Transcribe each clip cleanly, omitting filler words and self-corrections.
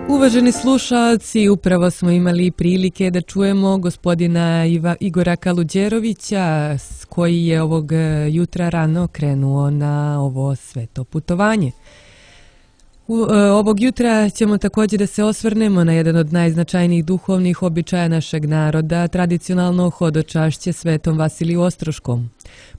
Uvaženi slušalci, upravo smo imali prilike da čujemo gospodina Igora Kaluđerovića koji je ovog jutra rano krenuo na ovo sveto putovanje. Ovog jutra ćemo također da se osvrnemo na jedan od najznačajnijih duhovnih običaja našeg naroda, tradicionalno hodočašće Svetom Vasiliju Ostroškom.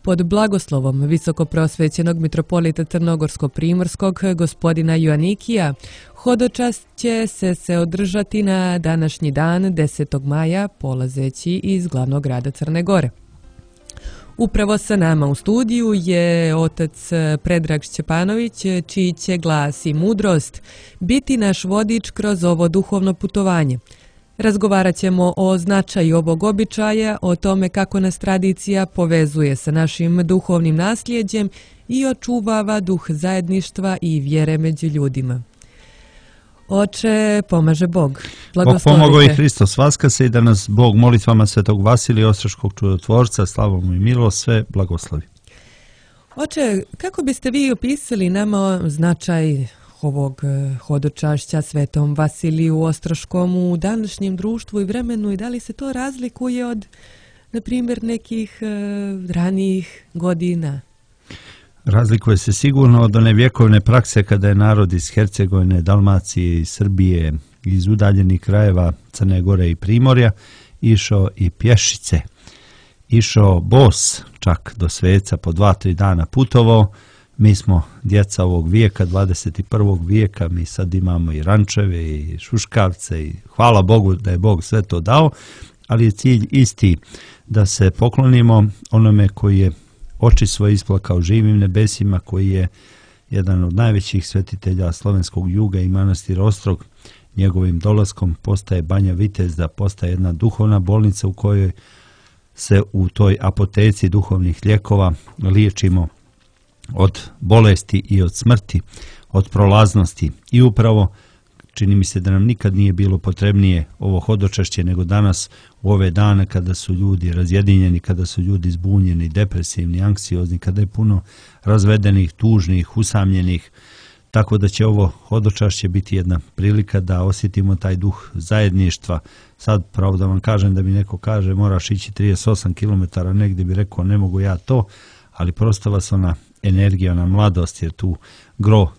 Pod blagoslovom visokoprosvećenog mitropolita Crnogorsko-primorskog gospodina Joanikija, hodočast će se održati na današnji dan 10. maja polazeći iz glavnog grada Crne Gore. Upravo sa nama u studiju je otac Predrag Šćepanović, čiji će glas i mudrost biti naš vodič kroz ovo duhovno putovanje. Razgovarat ćemo o značaju ovog običaja, o tome kako nas tradicija povezuje sa našim duhovnim nasljeđem i očuvava duh zajedništva i vjere među ljudima. Oče, pomaže Bog. Bog pomogao i Hristos vaskase i da nas Bog molitvama Svetog Vasilija Ostroškog čudotvorca, slavom i milost, sve blagoslovi. Oče, kako biste vi opisali nama značaj ovog hodočašća Svetom Vasiliju Ostroškom u današnjem društvu i vremenu i da li se to razlikuje od, na primjer, nekih ranijih godina? Razlikuje se sigurno od one vjekovne prakse kada je narod iz Hercegovine, Dalmacije i Srbije, iz udaljenih krajeva Crne Gore i Primorja išao i pješice. Išao bos čak do sveca, po 2-3 dana putovao. Mi smo djeca ovog vijeka, 21. vijeka, mi sad imamo i rančeve i šuškavce i hvala Bogu da je Bog sve to dao, ali je cilj isti, da se poklonimo onome koji je oči svoje isplakao živim nebesima, koji je jedan od najvećih svetitelja slovenskog juga i manastira Ostrog. Njegovim dolaskom postaje Banja Vitezda, postaje jedna duhovna bolnica u kojoj se u toj apoteci duhovnih lijekova liječimo od bolesti i od smrti, od prolaznosti. I upravo čini mi se da nam nikad nije bilo potrebnije ovo hodočašće nego danas u ove dane kada su ljudi razjedinjeni, kada su ljudi zbunjeni, depresivni, anksiozni, kada je puno razvedenih, tužnih, usamljenih. Tako da će ovo hodočašće biti jedna prilika da osjetimo taj duh zajedništva. Sad, pravo da vam kažem, da mi neko kaže moraš ići 38 km, negdje bi rekao ne mogu ja to, ali prosto vas ona energija, ona mladost, jer tu gro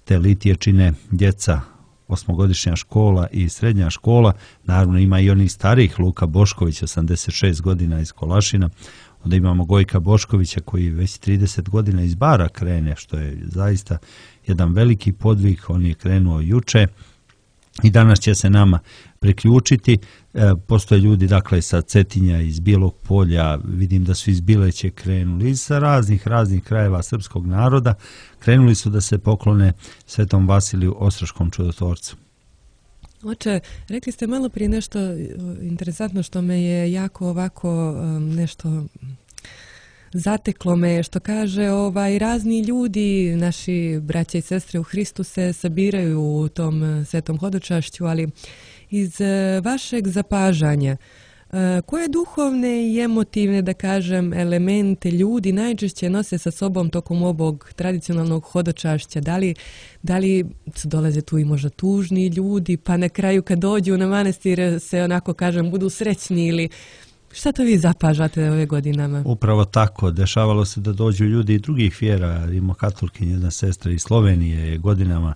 te litije čine djeca, 8-godišnja škola i srednja škola. Naravno ima i onih starijih, Luka Bošković, 86 godina iz Kolašina. Onda imamo Gojka Boškovića koji već 30 godina iz Bara krene, što je zaista jedan veliki podvig. On je krenuo juče i danas će se nama priključiti. Postoje ljudi dakle sa Cetinja, iz Bijelog Polja, vidim da su iz Bileće krenuli, iz raznih krajeva srpskog naroda. Krenuli su da se poklone Svetom Vasiliju Ostroškom čudotvorcu. Oče, rekli ste malo prije nešto interesantno što me je jako ovako nešto zateklo me, što kaže razni ljudi, naši braće i sestre u Hristu se sabiraju u tom svetom hodočašću, ali iz vašeg zapažanja, koje duhovne i emotivne, da kažem, elemente ljudi najčešće nose sa sobom tokom ovog tradicionalnog hodočašća? Da li dolaze tu i možda tužni ljudi, pa na kraju kad dođu na manastir se onako kažem budu srećni, ili šta to vi zapažate ove godinama? Upravo tako, dešavalo se da dođu ljudi i drugih vjera. Ima katolkinja, jedna sestra iz Slovenije je godinama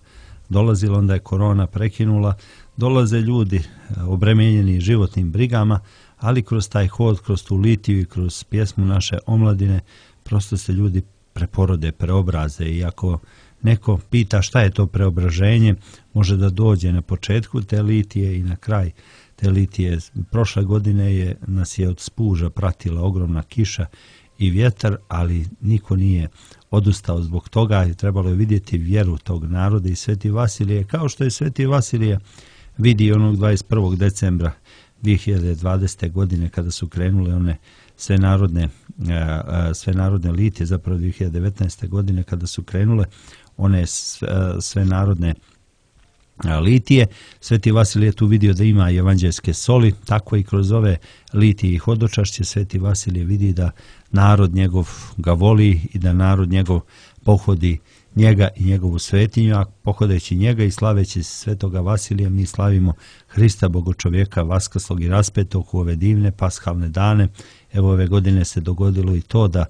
dolazila, onda je korona prekinula. Dolaze ljudi obremenjeni životnim brigama, ali kroz taj hod, kroz tu litiju i kroz pjesmu naše omladine, prosto se ljudi preporode, preobraze. I ako neko pita šta je to preobraženje, može da dođe na početku te litije i na kraj te litije. Prošle godine nas je od spuža pratila ogromna kiša i vjetar, ali niko nije odustao zbog toga i trebalo je vidjeti vjeru tog naroda i Sveti Vasilije, kao što je Sveti Vasilije vidi onog 21. decembra 2020. godine kada su krenule one sve narodne litije, zapravo 2019. godine kada su krenule one sve narodne litije. Sveti Vasilije tu vidio da ima evanđeljske soli, tako i kroz ove litije i hodočašće Sveti Vasilije vidi da narod njegov ga voli i da narod njegov pohodi njega i njegovu svetinju, a pohodeći njega i slaveći Svetoga Vasilija mi slavimo Hrista Bogočovjeka vaskrslog i raspetog u ove divne pashalne dane. Evo ove godine se dogodilo i to da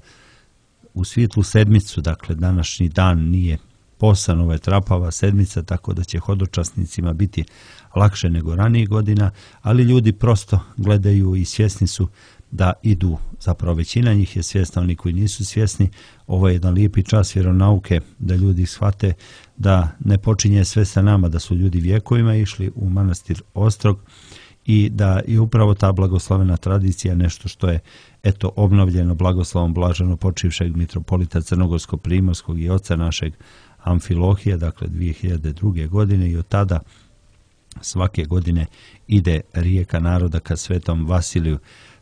u svitlu sedmicu, dakle današnji dan nije posan, ovo je trapava sedmica, tako da će hodočasnicima biti lakše nego ranijih godina, ali ljudi prosto gledaju i svjesni su da idu, zapravo većina njih je svjesna, oni koji nisu svjesni. Ovo je jedan lijepi čas vjeronauke da ljudi shvate da ne počinje sve sa nama, da su ljudi vjekovima išli u manastir Ostrog i da je upravo ta blagoslovena tradicija nešto što je obnovljeno blagoslovom blaženo počivšeg mitropolita Crnogorsko-primorskog i oca našeg Amfilohija, dakle 2002. godine, i od tada svake godine ide rijeka naroda ka Svetom Vasiliju.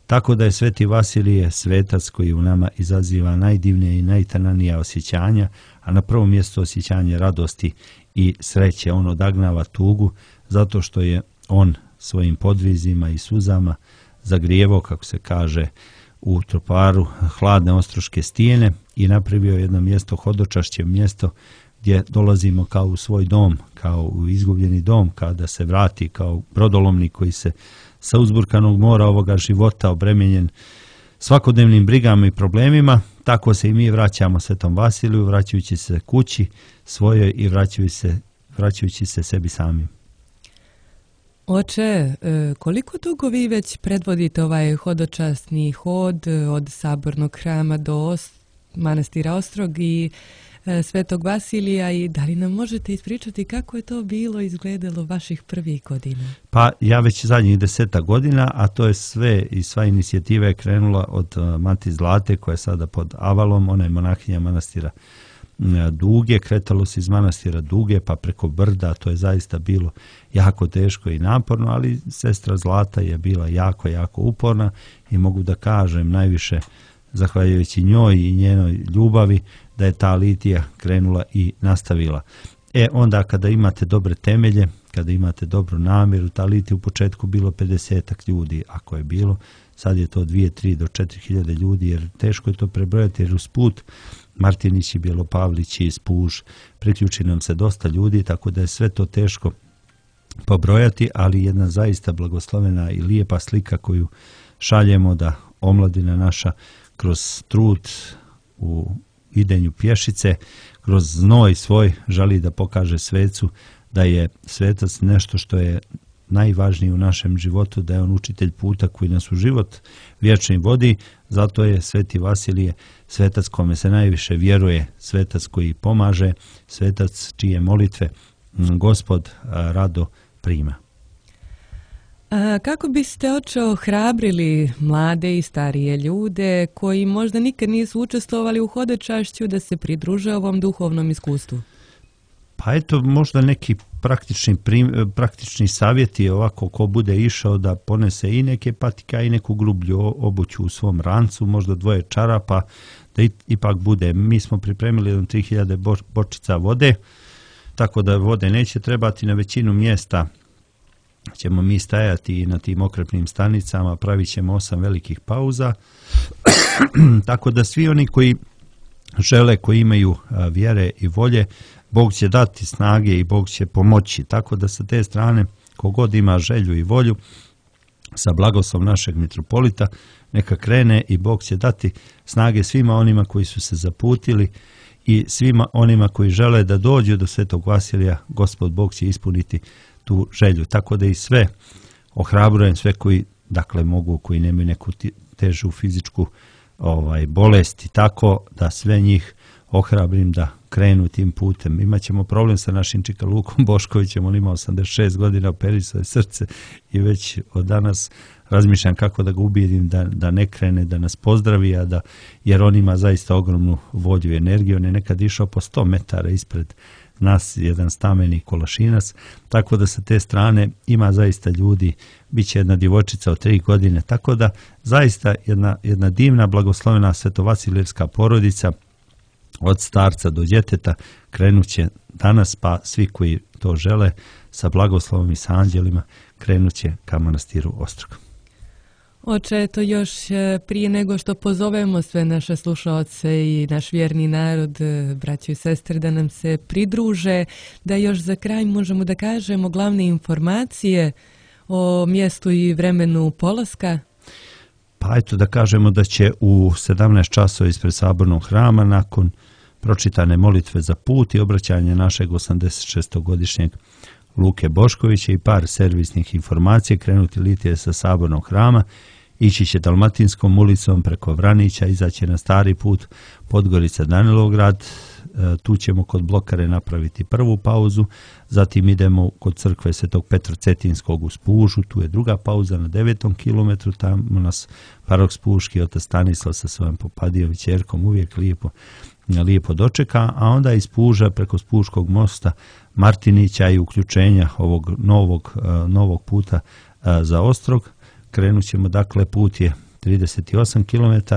Tako da je Sveti Vasilije svetac koji u nama izaziva najdivnije i najtananija osjećanja, a na prvom mjestu osjećanje radosti i sreće. On odagnava tugu zato što je on svojim podvizima i suzama zagrijevao, kako se kaže u troparu, hladne ostroške stijene i napravio jedno mjesto, hodočašće mjesto gdje dolazimo kao u svoj dom, kao u izgubljeni dom, kada se vrati kao brodolomnik koji se sa uzburkanog mora ovoga života obremenjen svakodnevnim brigama i problemima, tako se i mi vraćamo Svetom Vasiliju, vraćajući se kući svojoj i vraćajući se sebi samim. Oče, koliko dugo vi već predvodite ovaj hodočasni hod od Sabornog hrama do manastira Ostrog i Svetog Vasilija, i da li nam možete ispričati kako je to bilo izgledalo vaših prvih godina? Pa ja već zadnjih 10 godina, a to je sve i sva inicijativa je krenula od Mati Zlate koja je sada pod Avalom, ona je monahinja manastira Duge, kretalo se iz manastira Duge pa preko Brda, to je zaista bilo jako teško i naporno, ali sestra Zlata je bila jako, jako uporna i mogu da kažem najviše zahvaljujući njoj i njenoj ljubavi da je ta litija krenula i nastavila. Onda kada imate dobre temelje, kada imate dobru namjeru, ta litija u početku bilo 50 ljudi, ako je bilo, sad je to 2, 3 do 4.000 ljudi, jer teško je to prebrojati, jer uz put Martinić i Bjelopavlić i Spuž, priključi nam se dosta ljudi, tako da je sve to teško pobrojati, ali jedna zaista blagoslovena i lijepa slika koju šaljemo da omladina naša kroz trud u idenju pješice, kroz znoj svoj želi da pokaže svecu da je svetac nešto što je najvažnije u našem životu, da je on učitelj puta koji nas u život vječni vodi. Zato je Sveti Vasilije svetac kome se najviše vjeruje, svetac koji pomaže, svetac čije molitve Gospod rado prima. Kako biste, oče, ohrabrili mlade i starije ljude koji možda nikad nisu učestvovali u hodočašću da se pridruže ovom duhovnom iskustvu? Pa eto, možda neki praktični savjeti, ovako ko bude išao da ponese i neke patike i neku grublju obuću u svom rancu, možda 2 čarapa, da ipak bude. Mi smo pripremili 3000 bočica vode, tako da vode neće trebati. Na većinu mjesta ćemo mi stajati na tim okrepnim stanicama, pravit ćemo 8 velikih pauza, tako da svi oni koji žele, koji imaju vjere i volje, Bog će dati snage i Bog će pomoći, tako da sa te strane kogod ima želju i volju sa blagoslovom našeg mitropolita neka krene i Bog će dati snage svima onima koji su se zaputili i svima onima koji žele da dođu do Svetog Vasilija. Gospod Bog će ispuniti tu želju, tako da i sve ohrabrujem, sve koji dakle mogu, koji nemaju neku težu fizičku bolest i tako da sve njih ohrabrim da krenu tim putem. Imaćemo problem sa našim Čika Lukom Boškovićem, on ima 86 godina, operisao je srce i već od danas razmišljam kako da ga ubijedim da ne krene, da nas pozdravi, jer on ima zaista ogromnu volju i energiju. On je nekad išao po 100 metara ispred nas, jedan stameni kolašinac, tako da sa te strane ima zaista ljudi, bit će jedna djevojčica od 3 godine, tako da zaista jedna divna blagoslovena svetovasilijevska porodica od starca do djeteta, krenut će danas, pa svi koji to žele sa blagoslovom i sa anđelima krenut će ka manastiru Ostrog. Oče, eto još prije nego što pozovemo sve naše slušaoce i naš vjerni narod, braćo i sestre, da nam se pridruže, da još za kraj možemo da kažemo glavne informacije o mjestu i vremenu polaska. Pa eto da kažemo da će u 17 časova ispred Sabornog hrama, nakon pročitane molitve za put i obraćanje našeg 86-godišnjeg Luke Boškovića i par servisnih informacija, krenuti litije sa Sabornog hrama, ići će Dalmatinskom ulicom preko Vranića, izaći na stari put Podgorica Danilograd, tu ćemo kod Blokare napraviti prvu pauzu, zatim idemo kod crkve Svetog Petra Cetinskog u Spužu, tu je druga pauza na 9. kilometru, tamo nas parok Spuški otac Stanislav sa svojom popadijom i ćerkom uvijek lijepo dočeka, a onda iz Spuža preko Spuškog mosta Martinića i uključenja ovog novog puta za Ostrog. Krenut ćemo, dakle, put je 38 km,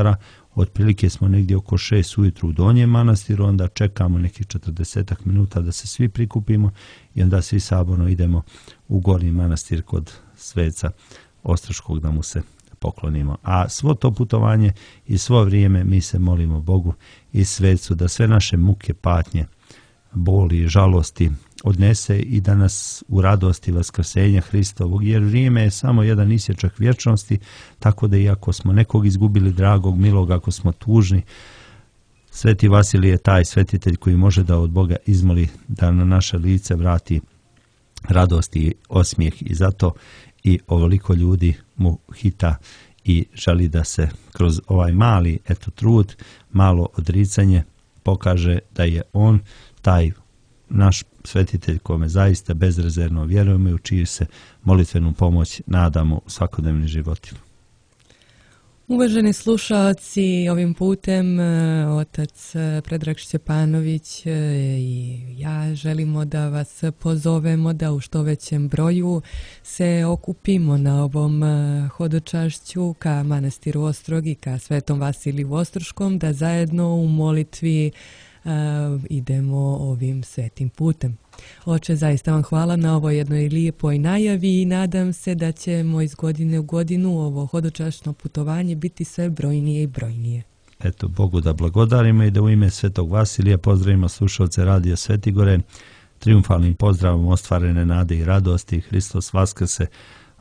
otprilike smo negdje oko 6 ujutru u Donjem manastiru, onda čekamo nekih 40 minuta da se svi prikupimo i onda svi saborno idemo u Gornji manastir kod sveca Ostroškog da mu se poklonimo. A svo to putovanje i svo vrijeme mi se molimo Bogu i svecu da sve naše muke, patnje, boli i žalosti odnese i da nas u radosti vaskrsenja Hristovog, jer vrijeme je samo jedan isječak vječnosti, tako da iako smo nekog izgubili dragog, milog, ako smo tužni, Sveti Vasilij je taj svetitelj koji može da od Boga izmoli da na naše lice vrati radost i osmijeh i zato i ovoliko ljudi mu hita i želi da se kroz ovaj mali trud, malo odricanje pokaže da je on taj naš svetitelj kome zaista bezrezervno vjerujemo i u čiju se molitvenu pomoć nadamo u svakodnevnim životima. Uvaženi slušalci, ovim putem otac Predrag Šćepanović i ja želimo da vas pozovemo da u što većem broju se okupimo na ovom hodočašću ka manastiru Ostrog i ka Svetom Vasiliju Ostroškom, da zajedno u molitvi idemo ovim svetim putem. Oče, zaista vam hvala na ovoj jednoj lijepoj najavi i nadam se da ćemo iz godine u godinu ovo hodočašno putovanje biti sve brojnije i brojnije. Eto, Bogu da blagodarimo i da u ime Svetog Vasilija pozdravimo slušalce Radija Svetigore triumfalnim pozdravom ostvarene nade i radosti. Hristos vaskrse,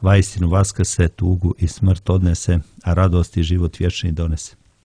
vaistinu vaskrse, tugu i smrt odnese, a radost i život vječni donese.